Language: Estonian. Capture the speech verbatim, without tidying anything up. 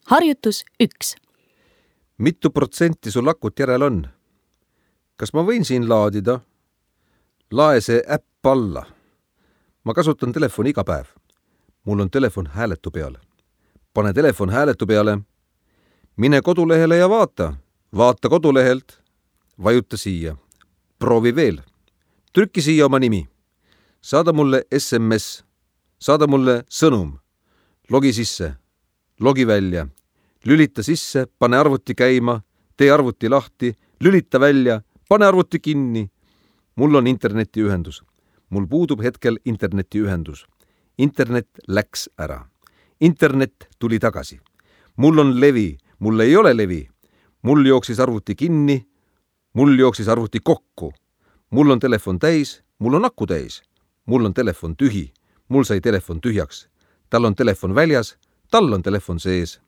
Harjutus üks. Mitu protsenti sul akut järel on? Kas ma võin siin laadida? Lae see äpp alla. Ma kasutan telefoni iga päev. Mul on telefon hääletu peale. Pane telefon hääletu peale. Mine kodulehele ja vaata. Vaata kodulehelt. Vajuta siia. Proovi veel. Trükki siia oma nimi. Saada mulle S M S. Saada mulle sõnum. Logi sisse. Logi välja. Lülita sisse, pane arvuti käima, tee arvuti lahti, lülita välja, pane arvuti kinni. Mul on internetiühendus. Mul puudub hetkel internetiühendus. Internet läks ära. Internet tuli tagasi. Mul on levi, mul ei ole levi. Mul jooksis arvuti kinni, mul jooksis arvuti kokku. Mul on telefon täis, mul on aku täis. Mul on telefon tühi, mul sai telefon tühjaks. Tal on telefon väljas, tal on telefon sees.